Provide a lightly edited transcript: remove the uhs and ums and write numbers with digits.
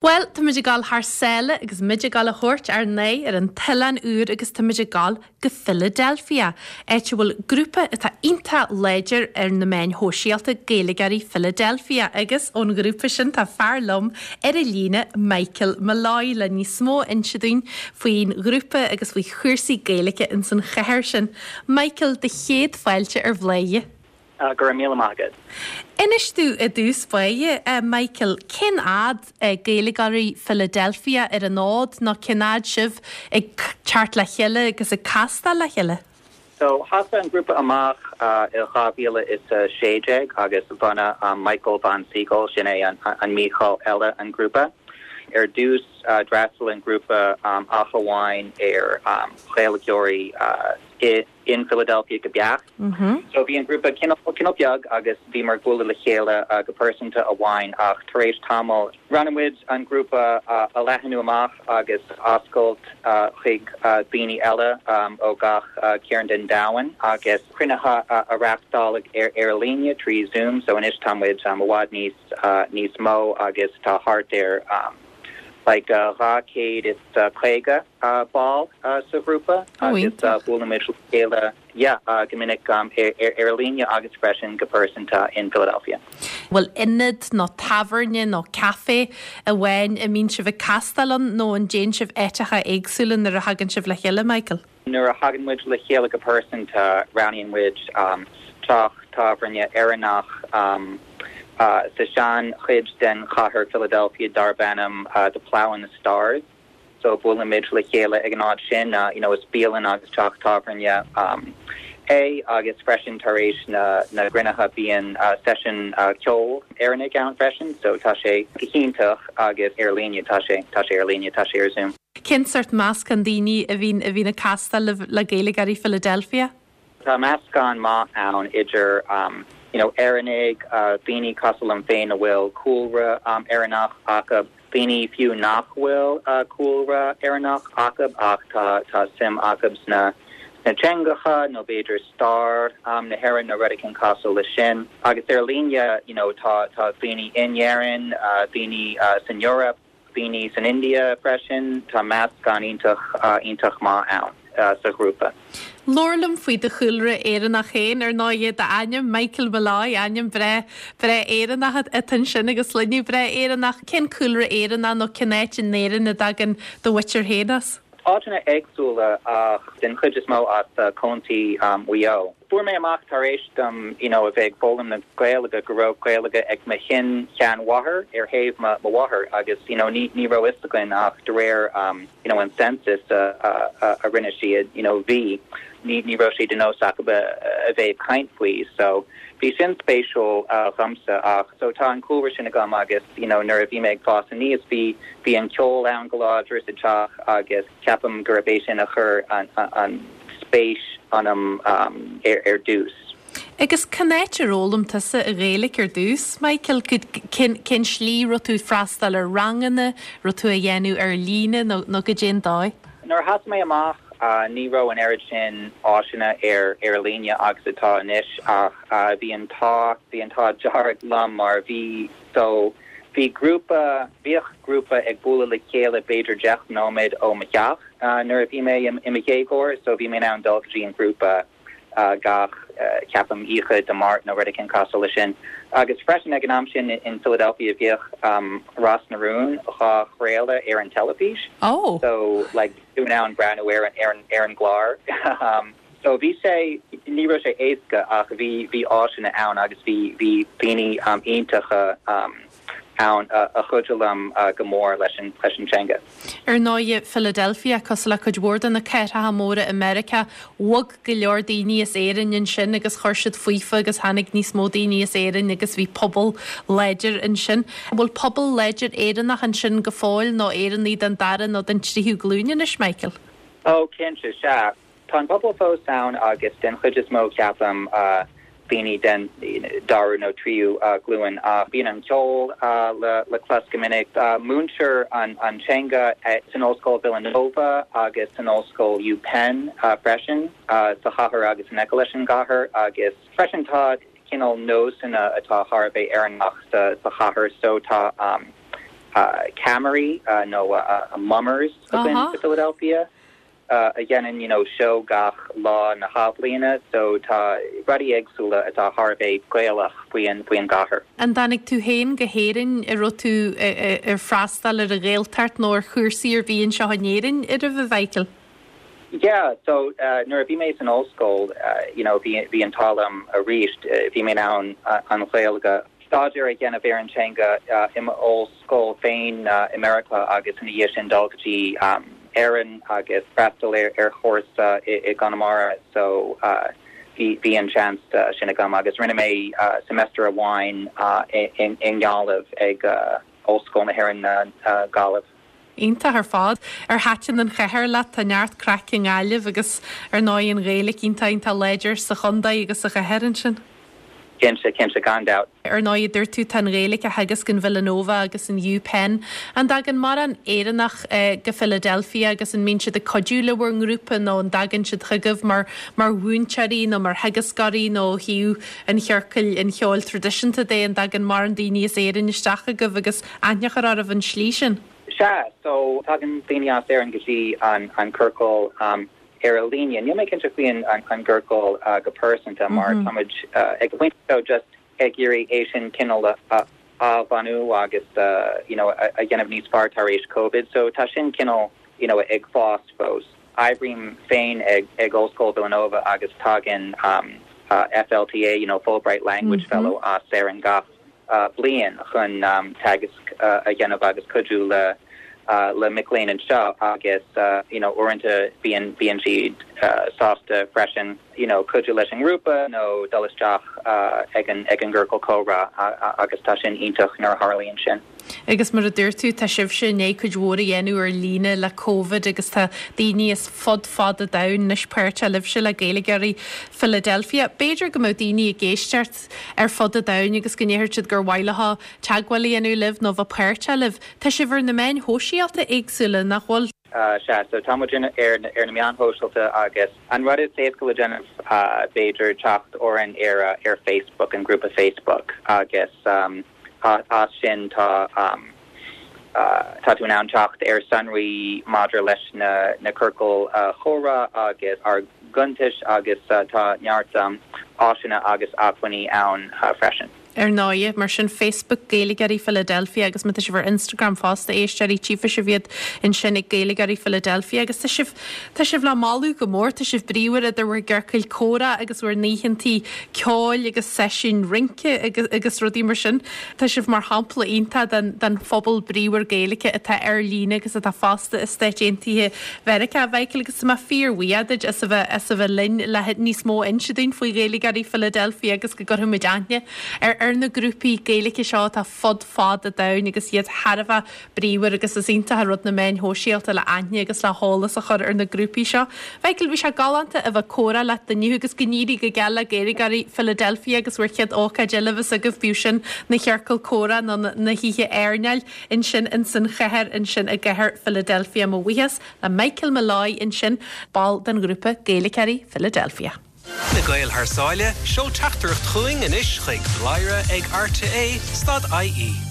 Bhuel, táimid ag dul thar sáile agus muid ag dul a thabhairt ár n-aghaidh ar an t-oileán úr agus táimid ag dul go Philadelphia, áit a bhfuil grúpa atá iontach láidir ar na meáin shóisialta, Gaeilgeoirí Philadelphia, agus ón ghrúpa sin tá fear liom ar an líne, Michael Molloy, le níos mó a inse dúinn faoin ghrúpa agus faoi chúrsaí Gaeilge ins an chathair sin. Michael, do chéad fáilte ar Bhladhaire. Go raibh míle maith agat. Inis domh i dtús báire, a Michael, cén fhad Gaeilgeoirí Philadelphia ar an fhód nó cén fhad sibh ag teacht le chéile agus ag castáil le chéile? So, thosaigh an grúpa amach i 2016 agus bhunaigh Michael Von Siegel, sin é an Mícheál eile, an grúpa. Ar dtús, d'fhreastail an grúpa ach amháin ar Ghaeilgeoirí i. in Philadelphia go beacht. So bhí an grúpa cineál beag agus bhíomar ag bualadh le chéile go pearsanta amháin ach tar éis tamaill roghnaigh muid an grúpa a leathanú amach agus oscailt chuig daoine eile ó gach cearn den domhan agus cruinnithe a reáchtáil ar líne trí Zoom so anois tá muid i bhfad níos níos mó agus tá thart ar like 250 ball sa ghrúpa agus buailimid le chéile yeah go minic ar líne agus freisin go pearsanta in Philadelphia. Bhfuil ionad nó tábhairne nó caife amháin a mbíonn sibh ag castáil ann nó an dtéann sibh áiteacha éagsúla nuair a thagann sibh le chéile, Michael? Nuair a thagann muid le chéile go pearsanta, roghnaíonn muid teach tábhairne Éireannach sa sean-chuid den chathair Philadelphia darb ainm The Plough and the Stars. So buailimid le chéile ag an áit sin, you know is bialann agus teach tábhairne é agus freisin tar éis na gcruinnithe bíonn seisiún ceoil Éireannaigh ann freisin so tá sé go hiontach agus ar líne, tá sé, tá sé ar líne, tá sé ar Zoom. Cén sórt meascán daoine a bhíonn a bhíonn ag castáil libh le Gaeilgeoirí Philadelphia? Tá meascán maith ann idir you know Éireannaigh, daoine cosúil liom féin a bhfuil cúlra Éireannach acu, daoine fiú nach bhfuil cúlra Éireannach acu ach tá tá suim acu sna sna teangacha nó b'fhéidir stair na hÉireann nó rud éicint cosúil leis sin. Agus ar líne you know tá tá daoine in Éirinn, daoine san Eoraip, daoine san India freisin, tá meascán iontach iontach maith ann sa ghrúpa. Labhair liom faoi do chúlra Éireannach féin, ar ndóighe, d'ainm, Michael Molloy, ainm breá breá Éireannach atá ansin agus sloinne breá Éireannach. Cén cúlra Éireannach nó cén áit in Éirinn a dtagann do mhuintir féin as? Áiteanna éagsúla ach den chuid is mó as Contae Mhaigh Eo. Fuair mé amach tar éis dom you know a bheith ag foghlaim na Gaeilge go raibh Gaeilge ag mo shin-sheanmháthair ar thaobh mo mháthar agus you know ní ní raibh fhios againn ach de réir you know an census a a a rinne siad you know bhí ní ní raibh sé de nós acu a a bheith ag caint faoi so bhí sin spéisiúil dhomsa ach so tá an cúlra sin agam agus you know nuair a bhí mé ag fás aníos bhí bhí an ceol ann go láidir sa teach agus Ceapaim gurb é sin a chuir an spéis ionam ar dtús. Agus cén áit ar fhoghlaim tusa an Ghaeilge ar dtús, Michael? Cén slí, raibh tú ag freastal ar ranganna, raibh tú á dhéanamh ar líne nó nó goidé an dóigh? Nuair a thosaigh mé amach ní raibh an oiread sin áiseanna ar ar líne agus atá anois ach bhí an t-ádh bhí an t-ádh dearg liom mar bhí so Bhí grúpa, bhíodh grúpa ag bualadh le chéile b'fhéidir 10 nóiméad ó mo theach nuair a bhí mé i mo dhéagóir so bhí mé in ann dul go dtí an grúpa gach, ceapaim, oíche Dé Máirt nó rud éicint cosúil leis sin. Agus freisin ag an am sin in Philadelphia bhíodh Ros na Rún dhá chraoladh ar an teilifís so like bhí tú in ann breathnú ar an ar an gclár. So bhí sé, ní raibh sé éasca ach bhí, bhí áiseanna ann agus bhí, bhí daoine iontacha ann a chuidigh liom go mór leis an, leis an teanga. Ar ndóighe, Philadelphia, cosúil le cuid mhór de na cathracha móra i Meiriceá, bhog go leor daoine as Éirinn ansin agus chuir siad faofa agus tháinig níos mó daoine as Éirinn agus bhí pobal láidir ansin. An bhfuil pobal láidir Éireannach ansin go fóill nó Éireannaigh den dara nó den tríú glúin anois, Michael? Ó, cinnte, sea. Tá an pobal fós ann agus den chuid is mó ceapaim daoine den dara nó tríú glúin ach bíonn an ceol le clos go minic. Múintear an teanga san Ollscoil Villanova agus san Ollscoil UPenn freisin sa chathair agus in aice leis an gcathair agus freisin tá cineál nósanna atá thar a bheith Éireannach sa chathair so tá. ceamaraí nó mummers againn sa Philadelphia a dhéanann you know seó gach lá na hathbhliana so tá rudaí éagsúla atá thar a bheith Gaelach faoi an faoi an gcathair. An dtáinig tú féin go hÉirinn, an raibh tú ag freastal ar an Ghaeltacht nó ar chúrsaí ar bith anseo in Éirinn ariamh a Mhichael? Yeah, so nuair a bhí mé san ollscoil, you know, bhí bhí an t-ádh liom arís, bhí mé in ann an Ghaeilge, staidéar a dhéanamh ar an teanga i m'ollscoil féin i Meiriceá agus ina dhiaidh sin dul go dtí Éirinn agus freastal ar ar chúrsa i i gConamara so bhí bhí an seans sin agam agus rinne mé semester amháin i i i nGaillimh ag Ollscoil na hÉireann Gaillimh. Iontach ar fad. Ar thaitin an chathair leat? Tá neart craic i nGaillimh agus ar ndóigh an Ghaeilge iontach iontach láidir sa chontae agus sa chathair ansin. Cinnte, cinnte, gan dabht. Ar ndóigh, a dúirt tú, tá an Ghaeilge á theagasc in Villanova agus in UPenn. An dtagann mórán Éireannach go Philadelphia agus an mbíonn siad ag cuidiú le bhur ngrúpa nó an dtagann siad chugaibh mar mar mhúinteoirí nó mar theagascóirí nó ó thaobh an chiorcail an cheoil traidisiúnta de, an dtagann mórán daoine as Éirinn isteach chugaibh agus aithne a chur oraibh an slí sin. Sea, so tagann daoine as Éirinn go dtí an an ciorcal ar an líne. Níl mé cinnte faoi an an gciorcal go pearsanta mar tá muid ag an bpointe seo just ag iarraidh é sin cineál a athbhunú agus you know a dhéanamh níos fearr tar éis Covid. So tá sin cineál you know ag fás fós. Oibrím féin ag ag Ollscoil Villanova agus tagann FLTA, you know Fulbright Language Fellow as Éirinn gach bliain chun teagasc a dhéanamh agus cuidiú le le mic léinn anseo agus you know uaireanta bíonn bíonn siad sásta freisin you know cuidiú leis an ngrúpa nó dul isteach ag an ag an gciorcal comhrá agus tá sin iontach nuair a tharlaíonn sin. Agus mar a dúirt tú, tá sibhse i ndiaidh cuid mhór a dhéanamh ar líne le Covid agus tá daoine as fud fad an domhain anois páirteach libhse le Gaeilgeoirí Philadelphia. B'fhéidir go mbeadh daoine ag éisteacht ar fud an domhain agus go ndéarfadh siad gur mhaith leo teagmháil a dhéanamh libh nó bheith páirteach libh. Tá sibh ar na meáin shóisialta éagsúla, nach bhfuil? Sea, so tá muid ar na meáin shóisialta agus an rud is éasca le déanamh b'fhéidir teacht orainn ar ar Facebook, an grúpa Facebook agus as sin tá tá tú in ann teacht ar sonraí maidir leis na na ciorcail chomhrá agus ár gcuntais agus tá neart áiseanna agus acmhainní ann freisin. Ar ndóigh, mar sin, Facebook, Gaeilgeoirí Philadelphia agus má tá sibh ar Instagram fosta, éisteoirí, tchífidh sibh iad ansin ag Gaeilgeoirí Philadelphia agus tá sibh, tá sibh le moladh go mór, tá sibh bríomhar idir bhur gciorcail comhrá agus bhur n-oícheantaí ceoil agus seisiúin rince agus, agus rudaí mar sin. Tá sibh mar shampla iontach den, den phobal bríomhar Gaeilge atá ar líne agus atá fosta i Stáit Aontaithe Mheiriceá, a Mhichael, agus tá mé fíorbhuíoch duit as a bheith, as a bheith linn le níos mó a inse dúinn faoi Ghaeilgeoirí Philadelphia agus go gcuirfidh muid aithne ar, ar na grúpaí Gaeilge seo atá fud fad an domhain agus iad thar a bheith bríomhar agus is iontach an rud na meáin shóisialta le aithne agus le heolas a chur ar na grúpaí seo. Mhichael, bhí sé galánta a bheith ag comhrá leat inniu agus go n-éirí go geal le Gaeilgeoirí Philadelphia agus bhur chéad ócáid eile a bheas agaibh, bíodh sin ina chiorcal comhrá nó na hoíche airneáil. Ansin ins an chathair ansin i gcathair Philadelphia. Mo bhuíochas le Michael Molloy ansin, ball den ghrúpa Gaeilgeoirí Philadelphia. Na Gaeil thar sáile, seol teachtaireacht chugainn anois chuig bladhaire ag rte stad ie.